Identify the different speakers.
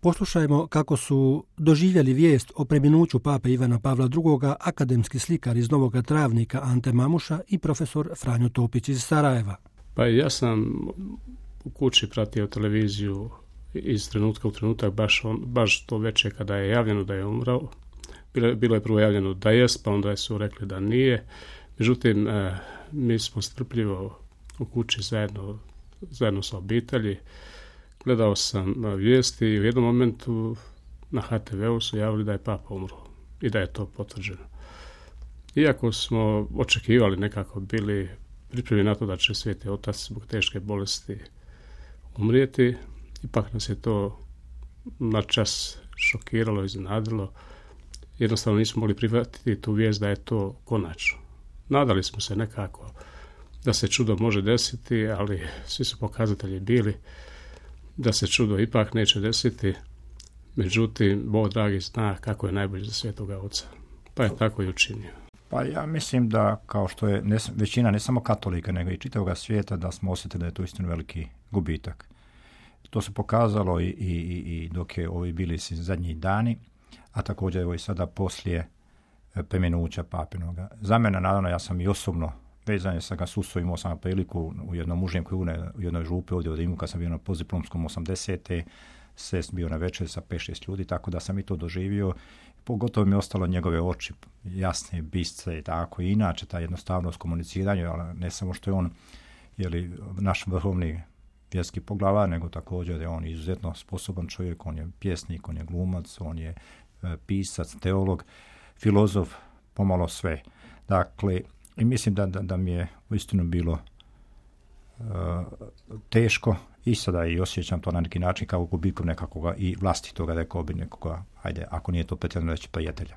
Speaker 1: Poslušajmo kako su doživjeli vijest o preminuću pape Ivana Pavla II. Akademski slikar iz Novog Travnika Ante Mamuša i profesor Franjo Topić iz Sarajeva.
Speaker 2: Pa ja sam u kući pratio televiziju iz trenutka u trenutak, baš to večer kada je javljeno da je umrao. Bilo je prvo javljeno da jest, pa onda su rekli da nije. Međutim, mi smo strpljivo u kući zajedno sa obitelji. Gledao sam vijesti i u jednom momentu na HTV-u su javili da je papa umro i da je to potvrđeno. Iako smo očekivali, nekako bili pripremljeni na to da će Sveti Otac zbog teške bolesti umrijeti, ipak nas je to na čas šokiralo, iznenadilo. Jednostavno nismo mogli prihvatiti tu vijest da je to konačno. Nadali smo se nekako da se čudo može desiti, ali svi su pokazatelji bili da se čudo ipak neće desiti. Međutim, Bog dragi zna kako je najbolje za Svetoga Oca. Pa je tako i učinio.
Speaker 3: Pa ja mislim da, kao što je većina ne samo katolika, nego i čitavoga svijeta, da smo osjetili da je to istinu veliki gubitak. To se pokazalo i dok je ovi bili zadnji dani, a također evo i sada poslije preminuća papinoga. Za mene, naravno, ja sam i osobno vezan sa ga susao, imao sam priliku u jednom užem krugu, u jednoj župi ovdje u Rimu, kad sam bio na postdiplomskom 80. Sest bio na večer sa 5-6 ljudi, tako da sam i to doživio. Pogotovo mi je ostalo njegove oči, jasne, bistre i tako. I inače, ta jednostavnost komuniciranja, ali ne samo što je on naš vrhovni vjerski poglavar, nego također je on izuzetno sposoban čovjek, on je pjesnik, on je glumac, on je pisac, teolog, filozof, pomalo sve. Dakle, i mislim da mi je uistinu bilo teško i sada i osjećam to na neki način kao gubitkom nekakvoga i vlastitoga, rekao bi nekoga, ajde, ako nije to pretjerano reći, prijatelja.